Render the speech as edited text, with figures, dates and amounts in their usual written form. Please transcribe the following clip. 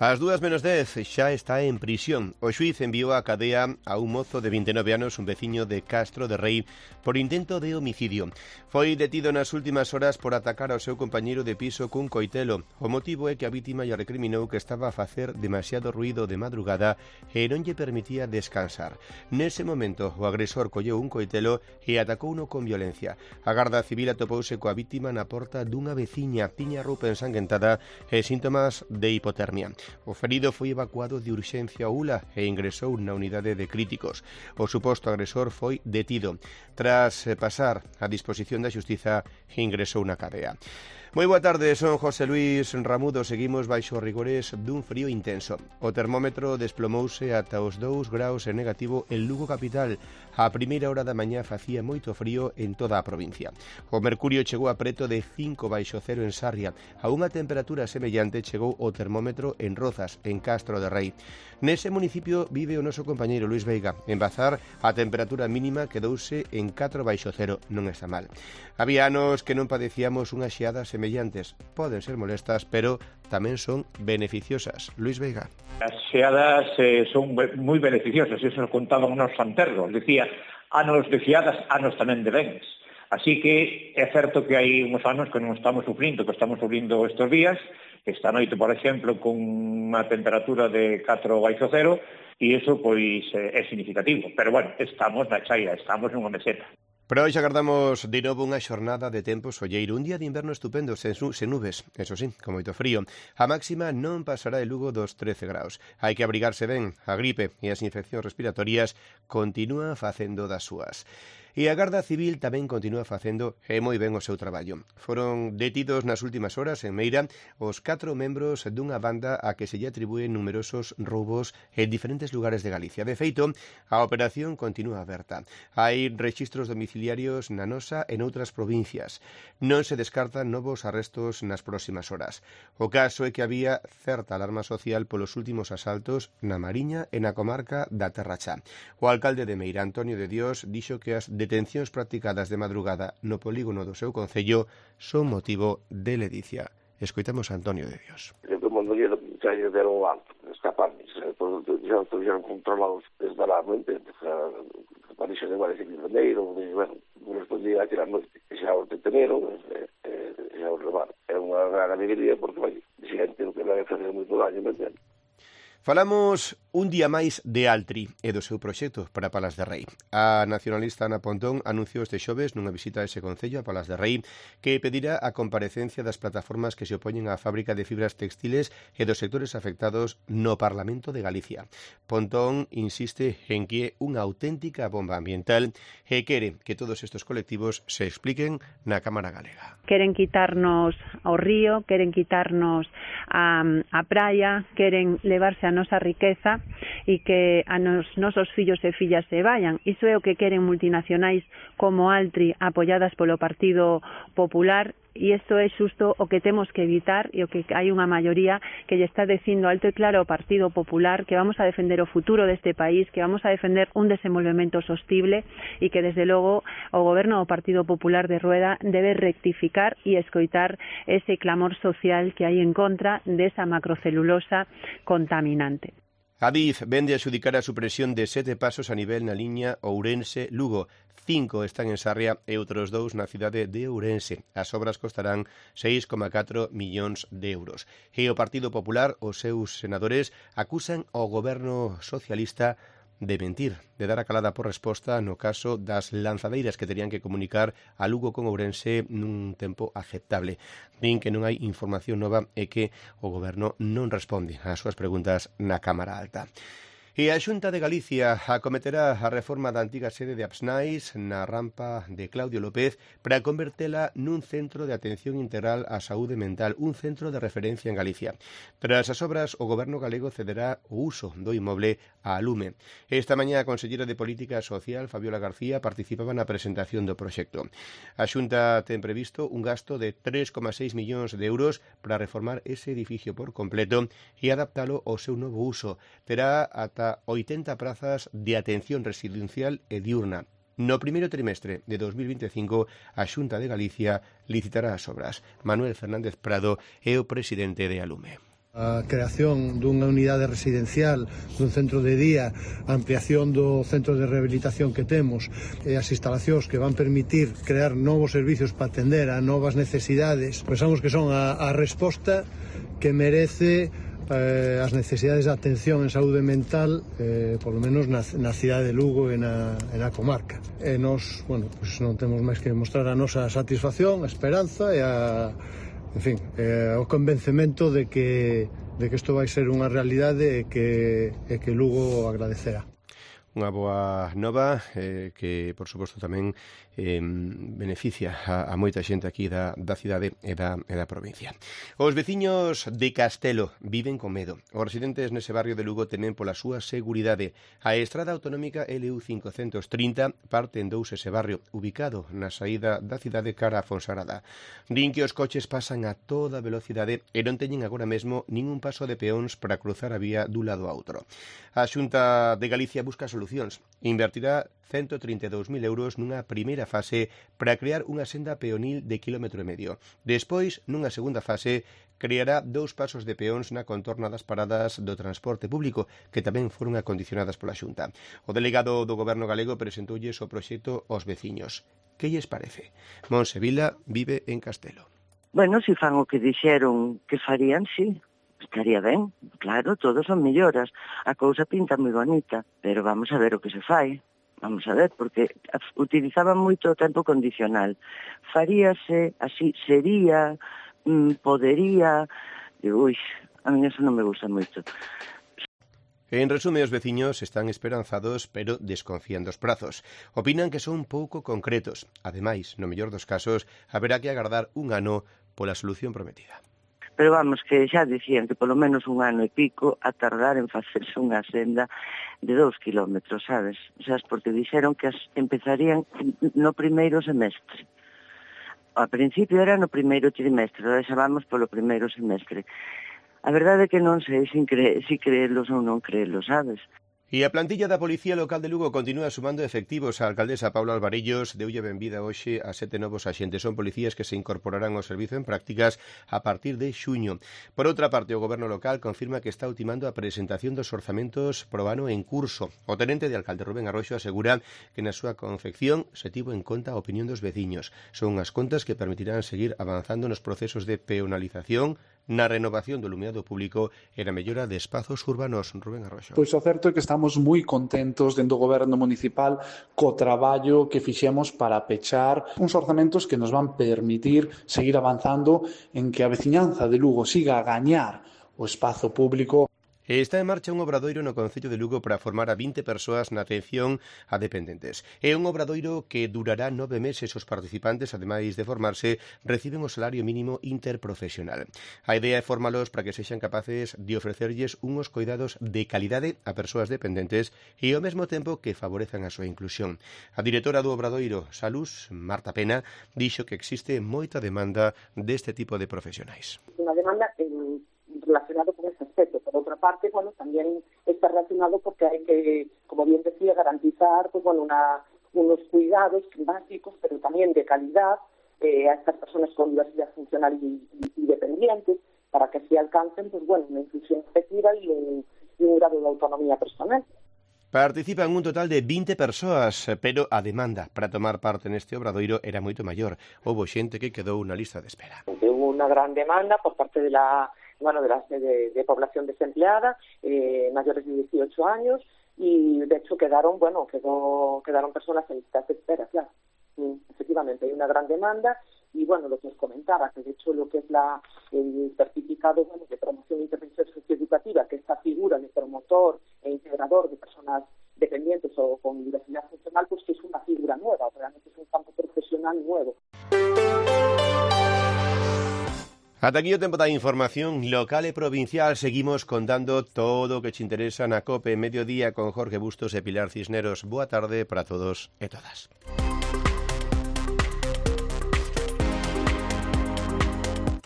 Ás 2:10 xa está en prisión. O xuíz enviou á cadea a un mozo de 29 anos, un veciño de Castro de Rei, por intento de homicidio. Foi detido nas últimas horas por atacar ao seu compañeiro de piso cun coitelo. O motivo é que a vítima lle recriminou que estaba a facer demasiado ruído de madrugada e non lle permitía descansar. Nese momento, o agresor colleu un coitelo e atacouno con violencia. A Garda Civil atopouse coa vítima na porta dunha veciña. Tiña roupa ensanguentada e síntomas de hipotermia. O ferido foi evacuado de urxencia ao ULA e ingresou na unidade de críticos. O suposto agresor foi detido. Tras pasar a disposición da xustiza, ingresou na cadea. Moi boa tarde, son José Luis Ramudo. Seguimos baixo rigores dun frío intenso. O termómetro desplomouse ata os 2 graus en negativo en Lugo capital. A primeira hora da mañá facía moito frío en toda a provincia. O mercurio chegou a preto de 5 baixo cero en Sarria. A unha temperatura semellante chegou o termómetro en Rozas, en Castro de Rei. Nese municipio vive o noso compañeiro Luis Veiga. En Bazar, a temperatura mínima quedouse en 4 baixo cero. Non está mal. Había anos que non padecíamos unhas xeadas semellantes. Poden ser molestas, pero tamén son beneficiosas. Luis Veiga. As xeadas son moi beneficiosas, eso nos contaban nos santerros. Decía, anos de xeadas, anos tamén de bens. Así que é certo que hai uns anos que non estamos sufrindo, que estamos sufrindo estes días. Esta noite, por exemplo, con unha temperatura de 4 baixo cero, e iso, pois, é significativo. Pero, bueno, estamos na chaira, estamos nunha meseta. Pero hoxe agardamos de novo unha xornada de tempo solleiro, un día de inverno estupendo, sen nubes, eso sí, con moito frío. A máxima non pasará de Lugo dos 13 graus. Hai que abrigarse ben, a gripe e as infeccións respiratorias continúan facendo das súas. E a Garda Civil tamén continúa facendo moi ben o seu traballo. Foron detidos nas últimas horas en Meira os 4 membros dunha banda a que se lle atribúen numerosos roubos en diferentes lugares de Galicia. De feito, a operación continúa aberta. Hai rexistros domiciliarios na nosa e noutras provincias. Non se descartan novos arrestos nas próximas horas. O caso é que había certa alarma social polos últimos asaltos na Mariña e na comarca da Terra Chá. O alcalde de Meira, Antonio de Dios, dixo que as detencións practicadas de madrugada no polígono do seu concello son motivo de ledicia. Escoitamos a Antonio de Dios. Todo o mundo lle deron o alto, escaparme, xa estuvieron controlados desbaradamente, Parixo de Guardia Civil de Neiro, bueno, non respondía a tirar noite, xa os deteneron, xa os levaron. É unha gran alegría porque, vai, xente que non vai facer moito daño, me entende? Falamos un día máis de Altri e do seu proxecto para Palas de Rei. A nacionalista Ana Pontón anunciou este xoves nunha visita a ese concello, a Palas de Rei, que pedirá a comparecencia das plataformas que se opoñen á fábrica de fibras textiles e dos sectores afectados no Parlamento de Galicia. Pontón insiste en que é unha auténtica bomba ambiental e quere que todos estes colectivos se expliquen na Cámara Galega. Queren quitarnos ao río, queren quitarnos a praia, queren levarse a nosa riqueza e que a nosos fillos e fillas se vayan. Iso é o que queren multinacionais como Altri, apoiadas polo Partido Popular, e isto é xusto o que temos que evitar e o que hai unha maioría que lle está dicindo alto e claro ao Partido Popular que vamos a defender o futuro deste país, que vamos a defender un desenvolvemento sostible e que desde logo o goberno do Partido Popular de Rueda debe rectificar e escoitar ese clamor social que hai en contra desa macrocelulosa contaminante. Adif vende a adxudicar a supresión de 7 pasos a nivel na liña Ourense-Lugo. 5 están en Sarria e outros 2 na cidade de Ourense. As obras costarán 6,4 millóns de euros. E o Partido Popular, os seus senadores, acusan ao goberno socialista de mentir, de dar a calada por resposta no caso das lanzadeiras que terían que comunicar a Lugo con Ourense nun tempo aceptable. Din que non hai información nova e que o goberno non responde ás súas preguntas na Cámara Alta. E a Xunta de Galicia acometerá a reforma da antiga sede de Apsnais na rampa de Claudio López para convertela nun centro de atención integral á saúde mental, un centro de referencia en Galicia. Tras as obras, o goberno galego cederá o uso do inmoble á Lume. Esta mañá a conselleira de Política Social, Fabiola García, participaba na presentación do proxecto. A Xunta ten previsto un gasto de 3,6 millóns de euros para reformar ese edificio por completo e adaptalo ao seu novo uso. Terá ata 80 prazas de atención residencial e diurna. No primeiro trimestre de 2025, a Xunta de Galicia licitará as obras. Manuel Fernández Prado é o presidente de Alume. A creación dunha unidade residencial, dun centro de día, a ampliación do centro de rehabilitación que temos e as instalacións que van permitir crear novos servicios para atender a novas necesidades, pensamos que son a resposta que merece as necesidades de atención en saúde mental, polo menos na cidade de Lugo e na comarca. E nos, pues non temos máis que mostrar a nosa satisfacción, a esperanza e o convencemento de que isto vai ser unha realidade e que Lugo agradecerá. Unha boa nova que, por suposto, tamén beneficia a moita xente aquí da cidade e da provincia. Os veciños de Castelo viven con medo. Os residentes nese barrio de Lugo temen pola súa seguridade. A estrada autonómica LU 530 parte en dous ese barrio, ubicado na saída da cidade cara a Fonsagrada. Din que os coches pasan a toda velocidade e non teñen agora mesmo ningún paso de peóns para cruzar a vía dun lado a outro. A Xunta de Galicia busca solucións. Invertirá 132.000 euros nunha primeira fase para crear unha senda peonil de 1,5 km. Despois, nunha segunda fase, creará 2 pasos de peóns na contorna das paradas do transporte público, que tamén foron acondicionadas pola Xunta. O delegado do Goberno galego presentoulles o proxecto aos veciños. Que lles parece? Monse Vila vive en Castelo. Bueno, se fan o que dixeron que farían, sí. Estaría ben, claro, todos son melloras. A cousa pinta moi bonita, pero vamos a ver o que se fai. Vamos a ver, porque utilizaban moito o tempo condicional. Faríase, así, sería, podería... Ui, a mí eso non me gusta moito. En resume, os veciños están esperanzados, pero desconfían dos prazos. Opinan que son pouco concretos. Ademais, no mellor dos casos, haberá que agardar un ano pola solución prometida. Pero vamos, que xa dicían que polo menos un ano e pico a tardar en facerse unha senda de 2 kilómetros, sabes? O sea, porque dixeron que empezarían no primeiro semestre. Ao principio era no primeiro trimestre, agora xa vamos polo primeiro semestre. A verdade é que non sei se creelos ou non creelos, sabes? E a plantilla da Policía Local de Lugo continúa sumando efectivos. A alcaldesa Paula Alvarellos deulle benvida hoxe a 7 novos axentes. Son policías que se incorporarán ao servizo en prácticas a partir de xuño. Por outra parte, o Goberno local confirma que está ultimando a presentación dos orzamentos pro ano en curso. O tenente de alcalde Rubén Arroxo asegura que na súa confección se tivo en conta a opinión dos veciños. Son unhas contas que permitirán seguir avanzando nos procesos de peonalización, na renovación do iluminado público e na mellora de espazos urbanos. Rubén Arroxo. Pois o certo é que estamos moi contentos dentro do Goberno municipal co traballo que fixemos para pechar uns orzamentos que nos van permitir seguir avanzando en que a veciñanza de Lugo siga a gañar o espazo público. Está en marcha un obradoiro no Concello de Lugo para formar a 20 persoas na atención a dependentes. É un obradoiro que durará 9 meses. Os participantes, ademais de formarse, reciben o salario mínimo interprofesional. A idea é formalos para que sexan capaces de ofrecerlles unhos cuidados de calidade a persoas dependentes e ao mesmo tempo que favorezan a súa inclusión. A directora do obradoiro Salus, Marta Pena, dixo que existe moita demanda deste tipo de profesionais. Unha demanda relacionado con ese aspecto. Por outra parte, tamén está relacionado porque hai que, como bien decía, garantizar unos cuidados básicos, pero tamén de calidad a estas personas con diversidad funcional y dependientes, para que así alcancen una inclusión efectiva y un grado de autonomía personal. Participan un total de 20 persoas, pero a demanda para tomar parte neste obradoiro era moito maior. Houbo xente que quedou na lista de espera. Hubo unha gran demanda por parte de la población desempleada, mayores de 18 años, y de hecho quedaron personas en listas de espera, claro. Efectivamente, hay una gran demanda, y lo que os comentaba, que de hecho lo que es el certificado de promoción e intervención socioeducativa, que esta figura de promotor e integrador de personas dependientes o con diversidad funcional, pues que es una figura nueva, realmente es un campo profesional nuevo. Ata aquí o tempo da información local e provincial. Seguimos contando todo o que te interesa na COPE Mediodía con Jorge Bustos e Pilar Cisneros. Boa tarde para todos e todas.